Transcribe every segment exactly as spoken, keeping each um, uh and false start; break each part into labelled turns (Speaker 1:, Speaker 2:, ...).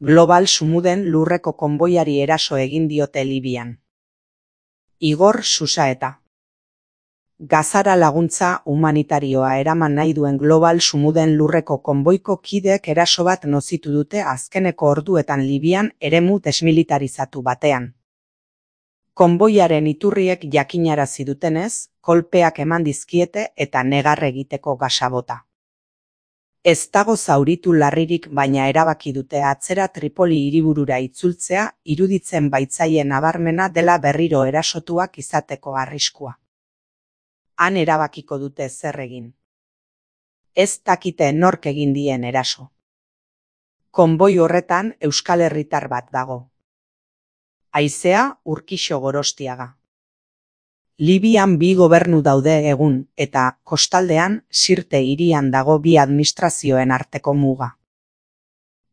Speaker 1: Global Sumuden lurreko konboiari eraso egin diote Libian. Igor Susaeta. Gazara laguntza humanitarioa eraman nahi duen Global Sumuden lurreko konboiko kideek eraso bat nozitu dute azkeneko orduetan Libian eremu desmilitarizatu batean. Konboiaren iturriek jakinarazi dutenez, kolpeak eman dizkiete eta negar egiteko gasabota. Ez dago zauritu larririk, baina erabaki dute atzera Tripoli hiriburura itzultzea iruditzen baitzaien nabarmena dela berriro erasotuak izateko arriskua. Han erabakiko dute zer egin. Ez dakite nork egin dien eraso. Konboi horretan euskal herritar bat dago. Haizea Urkixo Gorostiaga. Libian bi gobernu daude egun, eta kostaldean Sirte hirian dago bi administrazioen arteko muga.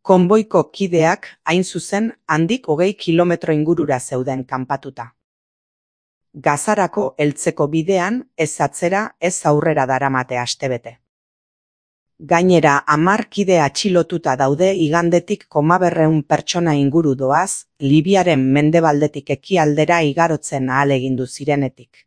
Speaker 1: Konboiko kideak, hain zuzen, handik hogei kilometro ingurura zeuden kanpatuta. Gazarako heltzeko bidean, ez atzera, ez aurrera daramate astebete. Gainera, hamar kide atxilotuta daude igandetik komaberreun pertsona inguru doaz, Libiaren mendebaldetik ekialdera igarotzen ahalegindu zirenetik.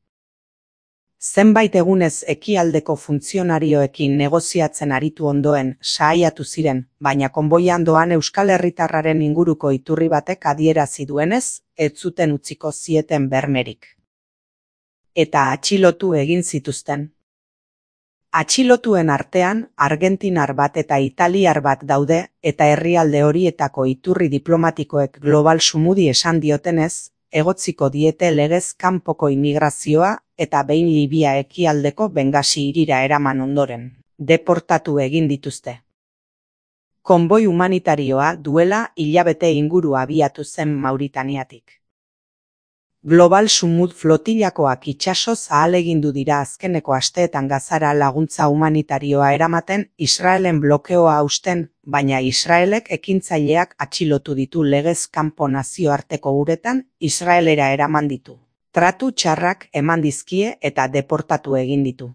Speaker 1: Zenbait egunez ekialdeko funtzionarioekin negoziatzen aritu ondoen sahaiatu ziren, baina konboian doan euskal herritarraren inguruko iturri batek adierazi duenez, ez zuten utziko zieten bermerik. Eta atxilotu egin zituzten. Atxilotuen artean, argentinar bat eta italiar bat daude, eta herrialde horietako iturri diplomatikoek Global Sumudi esan diotenez, egotziko diete legez kanpoko immigrazioa eta behin Libia ekialdeko Bengasi hirira eraman ondoren, deportatu egin dituzte. Konboi humanitarioa duela hilabete inguru abiatu zen Mauritaniatik. Global Sumud flotilakoak itsasoz ahalegindu dira azkeneko asteetan Gazara laguntza humanitarioa eramaten Israelen blokeoa hausten, baina Israelek ekintzaileak atxilotu ditu legez kanpo nazioarteko uretan Israelera eraman ditu. Tratu txarrak eman dizkie eta deportatu egin ditu.